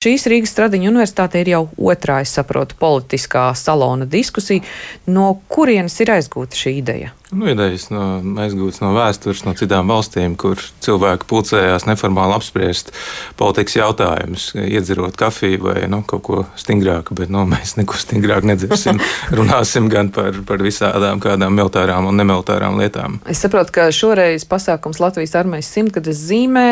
Šīs Rīgas Stradiņu universitāte ir jau otrā, es saprotu, politiskā salona diskusija. No kurienes ir aizgūta šī ideja? Idejas aizgūtas no vēstures, no citām valstīm, kur cilvēki pulcējās neformāli apspriest politikas jautājumus, iedzerot kafiju vai kaut ko stingrāku, bet mēs neko stingrāk nedzersim. Runāsim gan par visādām kādām militārām un nemilitārām lietām. Es saprotu, ka šoreiz pasākums Latvijas armijas 100-gades zīmē.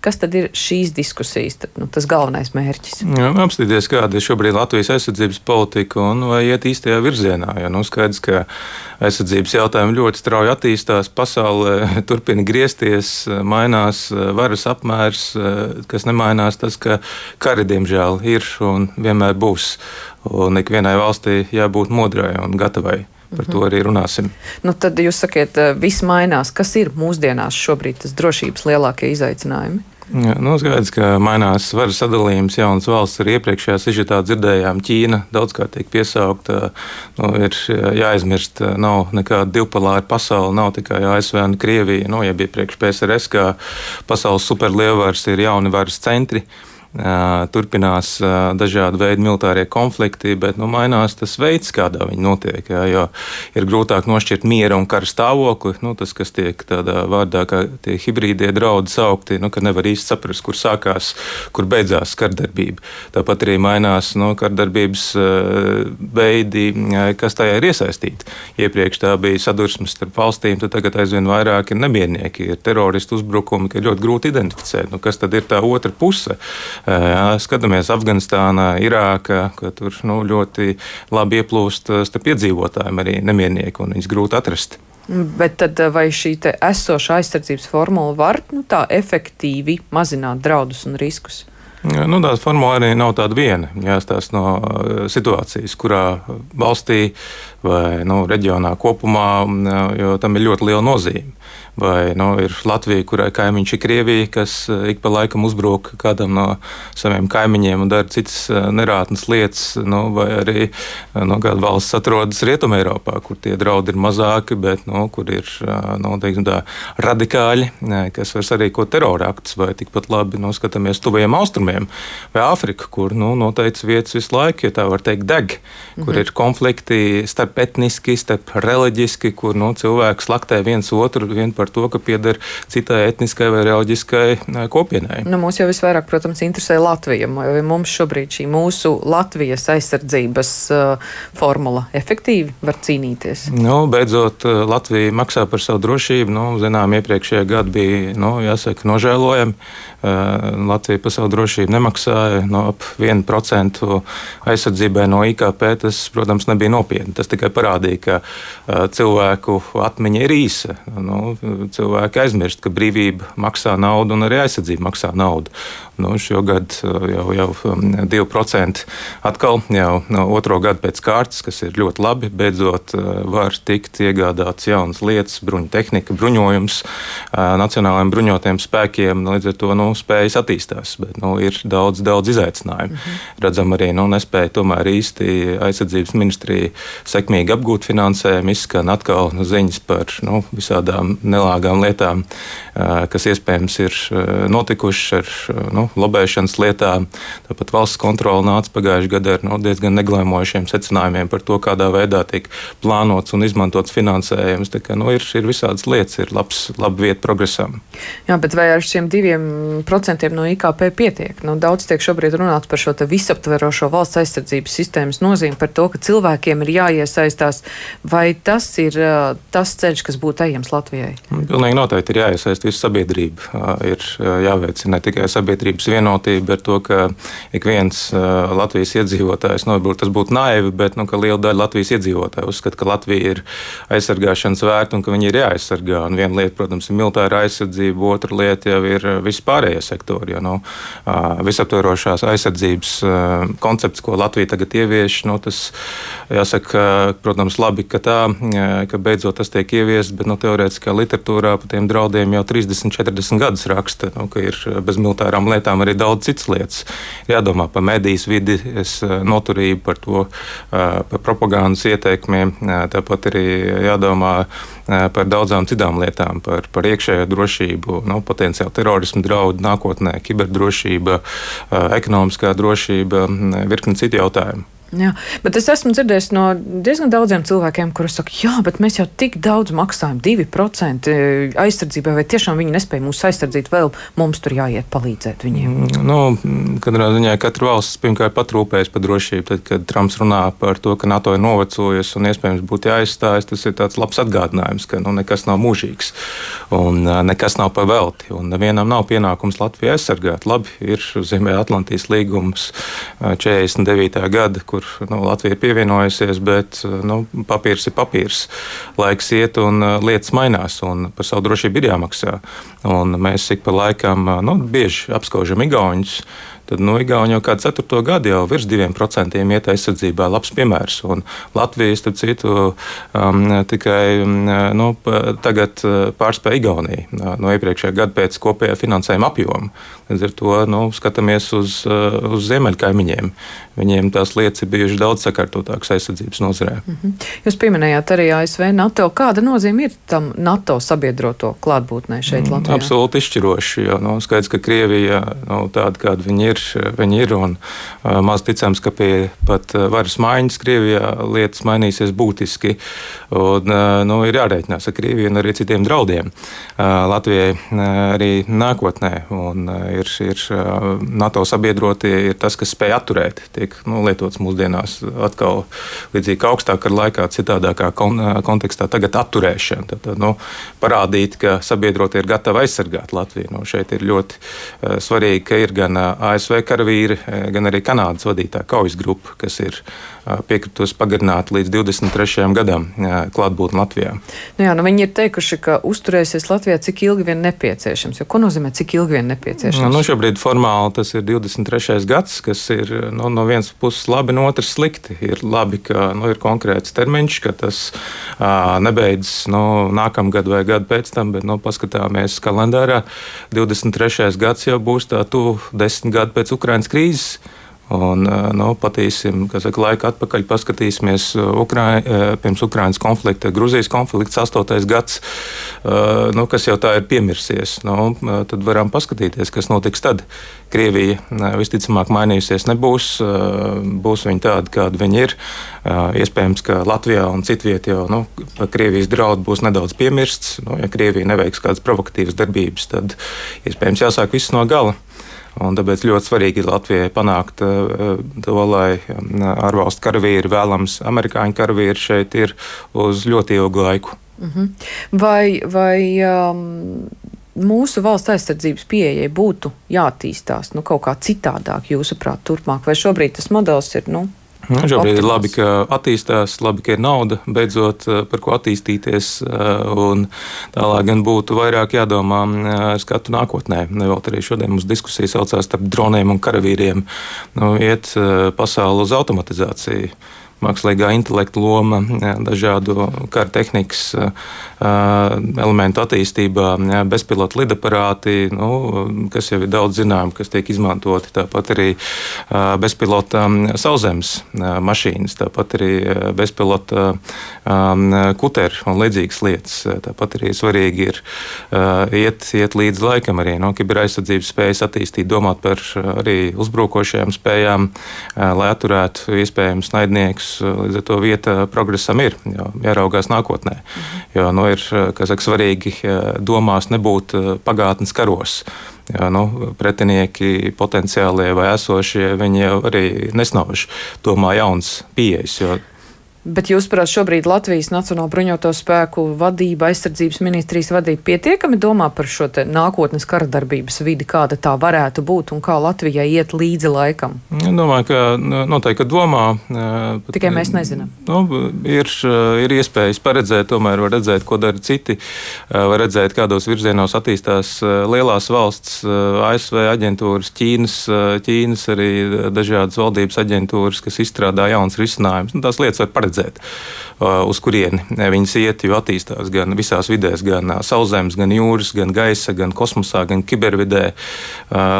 Kas tad ir šīs diskusijas, tas galvenais mērķis? Apstīties, kāda ir šobrīd Latvijas aizsardzības politika un vai iet īstajā virzienā. Skaidrs, ka aizsardzības jautājumi ļoti strauji attīstās, pasaulē turpina griezties, mainās varas apmērs, kas nemainās tas, ka kari, diemžēl, ir un vienmēr būs. Un ikvienai valstī jābūt modrai un gatavai. Par to arī runāsim. Tad jūs sakiet, viss mainās. Kas ir mūsdienās šobrīd tas drošības lielākie izaicinājumi? Skaidrs, ka mainās varas sadalījums, jaunas valsts. Arī iepriekšējā sižetā dzirdējām, Ķīna daudzkārt tiek piesaukta. Ir jāaizmirst, nav nekāda divpolāra pasaule, nav tikai ASV un Krievija. Jeb iepriekš PSRS, kā pasaules superlielvaras, ir jauni varas centri. Turpinās dažādi veidi militārie konflikti, bet mainās tas veids, kādā viņi notiek. Jo ir grūtāk nošķirt miera un kara stāvokli. Tas, kas tiek tādā vārdā, kā tie hibrīdie draudi saukti, ka nevar īsti saprast, kur sākās, kur beidzās kardarbība. Tāpat arī mainās kardarbības veidi, kas tajā ir iesaistīti. Iepriekš tā bija sadursmes starp valstīm, tad tagad aizvien vairāk ir nemiernieki, ir teroristu uzbrukumi, ka ir ļoti grūti identificēt. Kas tad ir tā otra puse? Skatāmies Afganistānā, Irākā, ka tur ļoti labi ieplūst starp iedzīvotājiem arī nemiernieki, un viņus grūti atrast. Bet tad vai šī esošā aizsardzības formula var tā efektīvi mazināt draudus un riskus? Tā formula arī nav tāda viena. Jāstāsta no situācijas, kurā valstī vai reģionā kopumā, jo tam ir ļoti liela nozīme. Vai ir Latvija, kurai kaimiņš ir Krievija, kas ik pa laikam uzbruk kādam no saviem kaimiņiem un dara citas nerātnas lietas, vai arī kāda valsts atrodas Rietumē Eiropā, kur tie draudi ir mazāki, bet kur ir teiksim tā, radikāļi, kas var sarīkot teroraktus, vai tikpat labi skatāmies tuvajiem austrumiem vai Āfriku, kur noteikts vietas visu laiku, ja tā var teikt, deg, kur ir konflikti starp etniski, starp reliģiski, kur cilvēki slaktē viens otru vien par to, ka pieder citai etniskai vai reliģiskai kopienai. Mūs jau visvairāk, protams, interesē Latvija. Vai mums šobrīd šī mūsu Latvijas aizsardzības formula efektīvi var cīnīties? Beidzot, Latvija maksā par savu drošību. Zinām, iepriekšējā gada bija, jāsaka, nožēlojami. Latvija par savu drošību nemaksāja ap 1% aizsardzībai no IKP. Tas, protams, nebija nopietni. Tas tikai parādīja, ka cilvēku atmiņa ir īsa. Cilvēki aizmirst, ka brīvība maksā naudu un arī aizsardzība maksā naudu. Šogad jau 2% atkal jau otro gadu pēc kārtas, kas ir ļoti labi. Beidzot var tikt iegādāts jaunas lietas, bruņu tehnika, bruņojums nacionālajiem bruņotajiem spēkiem. Līdz ar to spējas attīstās, bet ir daudz izaicinājumu. Redzam arī, nespēja tomēr īsti aizsardzības ministrija sekmīgi apgūt finansējumu, izskan atkal ziņas par visādām nelāgām lietām, kas iespējams ir notikušas ar lobēšanas lietām. Tāpat valsts kontrole nāca pagājušajā gadā ar diezgan neglēmojošiem secinājumiem par to, kādā veidā tiek plānots un izmantots finansējums. Tā kā ir visādas lietas, ir laba vieta progresam. Jā, bet vai ar šiem 2% no IKP pietiek? Daudz tiek šobrīd runāts par šo visaptverošo valsts aizsardzības sistēmas nozīmi, par to, ka cilvēkiem ir jāiesaistās. Vai tas ir tas ceļš, kas būtu ejams Latvijai? Pilnīgi noteikti ir jāiesaist visa sabiedrība. Ir jāveicina ne tikai sabiedrības vienotība ar to, ka ik viens Latvijas iedzīvotājs, varbūt tas būtu naivi, bet ka liela daļa Latvijas iedzīvotāju uzskata, ka Latvija ir aizsargāšanas vērta un ka viņi ir jāaizsargā. Un viena lieta, protams, ir militāra aizsardzība, otra lieta jau ir vispārējie sektori. Visaptverošās aizsardzības koncepts, ko Latvija tagad ievieš, tas jāsaka, protams, labi, ka beidzot tas tiek ieviests, bet teorētiskā literatūrā par tiem draudiem jau 30-40 gadus raksta, ka ir bez militārām lietām arī daudz citas lietas. Jādomā par medijas vidi, noturību, par to, par propagandas ieteikumiem. Tāpat arī jādomā par daudzām citām lietām, par iekšējo drošību, potenciāli terorismu draudu nākotnē, kiberdrošība, drošība, ekonomiskā drošība, virkni citu jautājumu. Jā, bet es esmu dzirdējis no diezgan daudziem cilvēkiem, kuri saka, jā, bet mēs jau tik daudz maksājam, 2% aizsardzībai, vai tiešām viņi nespēja mūs aizsardzīt, vēl mums tur jāiet palīdzēt viņiem? Katrā ziņā katra valsts pirmkārt patrūpējas par drošību. Tad, kad Trumps runā par to, ka NATO ir novecojusi un iespējams būtu jāizstājas, tas ir tāds labs atgādinājums, ka nekas nav mūžīgs un nekas nav pa velti. Un nevienam nav pienākums Latviju aizsargāt. Labi, ir Ziemeļatlantijas līgums 49. gada, kur Latvija ir pievienojusies, bet papīrs ir papīrs. Laiks iet un lietas mainās, un par savu drošību ir jāmaksā. Un mēs ik pa laikam bieži apskaužam igauņus. Tad Igauni jau kādu 4. gadu jau virs 2% iet aizsardzībā. Labs piemērs. Un Latvija, starp citu, tikai tagad pārspēja Igauniju no iepriekšējā gada pēc kopējā finansējuma apjoma. Līdz ar to skatāmies uz ziemeļkaimiņiem. Viņiem tās lietas ir bijušas daudz sakārtotākas aizsardzības nozarē. Jūs pieminējāt arī ASV, NATO. Kāda nozīme ir tam NATO sabiedroto klātbūtnē šeit Latvijā? Absolūti izšķiroši, jo skaidrs, ka Krievija tāda, kāda viņi ir, un maz ticams, ka pie pat varas maiņas Krievijā lietas mainīsies būtiski, un ir jārēķinās ar Krieviju un arī citiem draudiem Latvijai arī nākotnē, un ir NATO sabiedrotie ir tas, kas spēj atturēt, tiek lietots mūsdienās atkal līdzīgi kā augstākā laikā, citādākā kontekstā tagad atturēšana, tad parādīt, ka sabiedrotie ir gatavi aizsargāt Latviju. Šeit ir ļoti svarīgi, ka ir gan ASV karavīri, gan arī Kanādas vadītā kaujas grupa, kas ir piekritusi pagarināt līdz 23. gadam klātbūtni Latvijā. Viņi ir teikuši, ka uzturēsies Latvijā cik ilgi vien nepieciešams. Jo ko nozīmē cik ilgi vien nepieciešams? Šobrīd formāli tas ir 23. gads, kas ir no vienas puses labi, no otras slikti. Ir labi, ka ir konkrēts termiņš, ka tas nebeidzas nākamgad vai gadu pēc tam, bet paskatāmies kalendārā. 23. gads jau būs tā tuvu 10 gadu pēc Ukrainas krīzes. Un, patīsim, laiku atpakaļ paskatīsimies pirms Ukrainas konflikta, Gruzijas konflikts 8. gads, kas jau tā ir piemirsies. Tad varam paskatīties, kas notiks tad. Krievija visticamāk mainījusies nebūs, būs viņa tāda, kāda viņa ir. Iespējams, ka Latvijā un citviet jau Krievijas draudu būs nedaudz piemirsts. Ja Krievija neveiks kādas provokatīvas darbības, tad iespējams jāsāk viss no gala. Un tāpēc ļoti svarīgi ir Latvijai panākt to, lai ārvalstu karavīri, vēlams amerikāņu karavīri šeit ir uz ļoti ilgu laiku. Vai mūsu valsts aizsardzības pieejai būtu jāattīstās kaut kā citādāk, jūsuprāt, turpmāk? Vai šobrīd tas modelis ir šobrīd ir labi, ka attīstās, labi, ka ir nauda, beidzot par ko attīstīties, un tālāk gan būtu vairāk jādomā skatu nākotnē. Vēl arī šodien mums diskusija saucās starp droniem un karavīriem. Iet pasauli uz automatizāciju. Mākslīgā intelekta loma, dažādu kara tehnikas elementu attīstībā, bezpilota lidaparāti, kas jau ir daudz zinām, kas tiek izmantoti. Tāpat arī bezpilota sauszemes mašīnas, tāpat arī bezpilota kuteri un līdzīgas lietas. Tāpat arī svarīgi ir iet līdz laikam arī kiberaizsardzības spējas attīstīt, domāt par arī uzbrukošajām spējām, lai atturētu iespējams naidniekus. Līdz ar to vieta progresam ir, jāraugās nākotnē. Jo ir svarīgi domās nebūt pagātnes karos. Pretinieki potenciālie vai esošie, viņi jau arī nesnauž domā jauns pieejas. Bet jūs, prāt, šobrīd Latvijas Nacionālo bruņoto spēku vadība, aizsardzības ministrijas vadība pietiekami domā par šo nākotnes kara darbības vidi, kāda tā varētu būt un kā Latvijai iet līdzi laikam? Domāju, ka noteikti domā. Tikai mēs nezinām. Ir iespējas paredzēt, tomēr var redzēt, ko dara citi. Var redzēt, kādos virzienos attīstās lielās valsts, ASV aģentūras, Ķīnas arī dažādas valdības aģentūras, kas izstrādā jauns risinājums. Tās lietas var paredzēt. Uz kurieni viņas iet, jo attīstās gan visās vidēs, gan sauszemes, gan jūras, gan gaisa, gan kosmosā, gan kibervidē.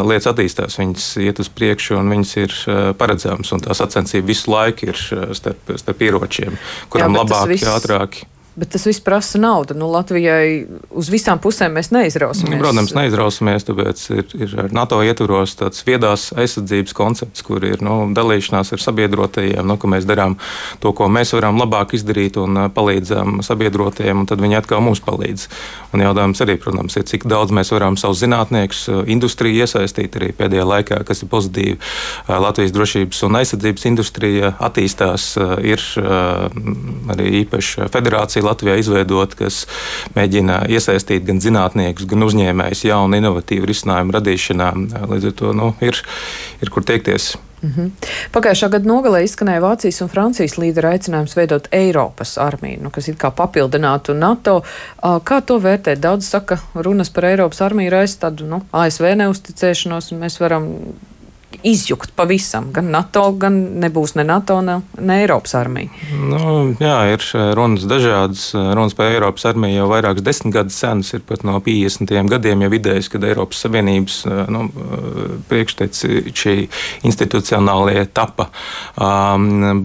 Lietas attīstās, viņas iet uz priekšu un viņas ir paredzamas. Un tā sacensība visu laiku ir starp ieročiem, kuram labāk, ātrāk. Bet tas viss prasa naudu. Latvijai uz visām pusēm mēs neizrausimies. Protams, neizrausimies, tāpēc ir ar NATO ietvaros tāds viedās aizsardzības koncepts, kur ir dalīšanās ar sabiedrotajiem, ka mēs darām to, ko mēs varam labāk izdarīt un palīdzam sabiedrotajiem, un tad viņi atkal mums palīdz. Un jautājums arī, protams, ir, cik daudz mēs varam savus zinātniekus, industriju iesaistīt arī pēdējā laikā, kas ir pozitīvi. Latvijas drošības un aizsardzības industrija attīstās, ir arī īpaši federācija Latvijā izveidot, kas mēģina iesaistīt gan zinātniekus, gan uzņēmējus jaunu, inovatīvu risinājumu radīšanā. Līdz ar to ir kur tiekties. Pagājušā gada nogalē izskanēja Vācijas un Francijas līderu aicinājums veidot Eiropas armiju, kas it kā papildinātu NATO. Kā to vērtēt? Daudz saka, runas par Eiropas armiju raisa tādu ASV neusticēšanos, un mēs varam izjukt pavisam. Gan NATO, gan nebūs ne NATO, ne Eiropas armija. Jā, ir runas dažādas. Runas par Eiropas armiju jau vairākas desmitgadus senas, ir pat no 50. gadiem jau idejas, kad Eiropas Savienības priekšteči institucionālie tapa.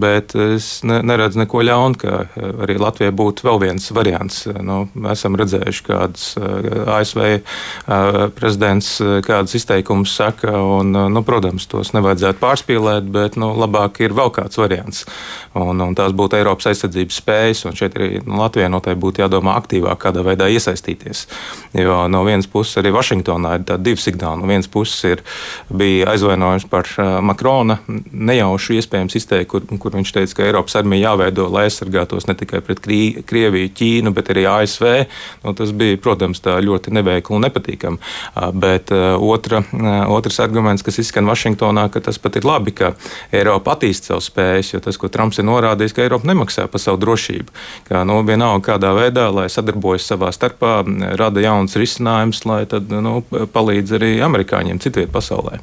Bet es neredzu neko ļaunu, ka arī Latvijai būtu vēl viens variants. Esam redzējuši, kādas ASV prezidents kādas izteikumus saka, un, protams, tos nevajadzētu pārspīlēt, bet labāk ir vēl kāds variants. Un tās būtu Eiropas aizsardzības spējas, un šeit arī Latvijai noteikti būtu jādomā aktīvāk, kādā veidā iesaistīties. Jo no vienas puses arī Vašingtonā ir tādi divi signāli. No vienas puses bija aizvainojums par Makrona nejaušu iespējams izteikti, kur viņš teica, ka Eiropas armija jāveido, lai aizsargātos ne tikai pret Krieviju, Ķīnu, bet arī ASV. Tas bija, protams, tā ļoti neveikli un nepatīkami. Bet otrs arguments, kas izskan Vašingtonā, ka tas pat ir labi, ka Eiropa attīsta savu spējas, jo tas, ko Trumps ir norādījis, ka Eiropa nemaksā par savu drošību. Ka vienalga kādā veidā, lai sadarbojas savā starpā, rada jauns risinājums, lai tad palīdz arī amerikāņiem citviet pasaulē.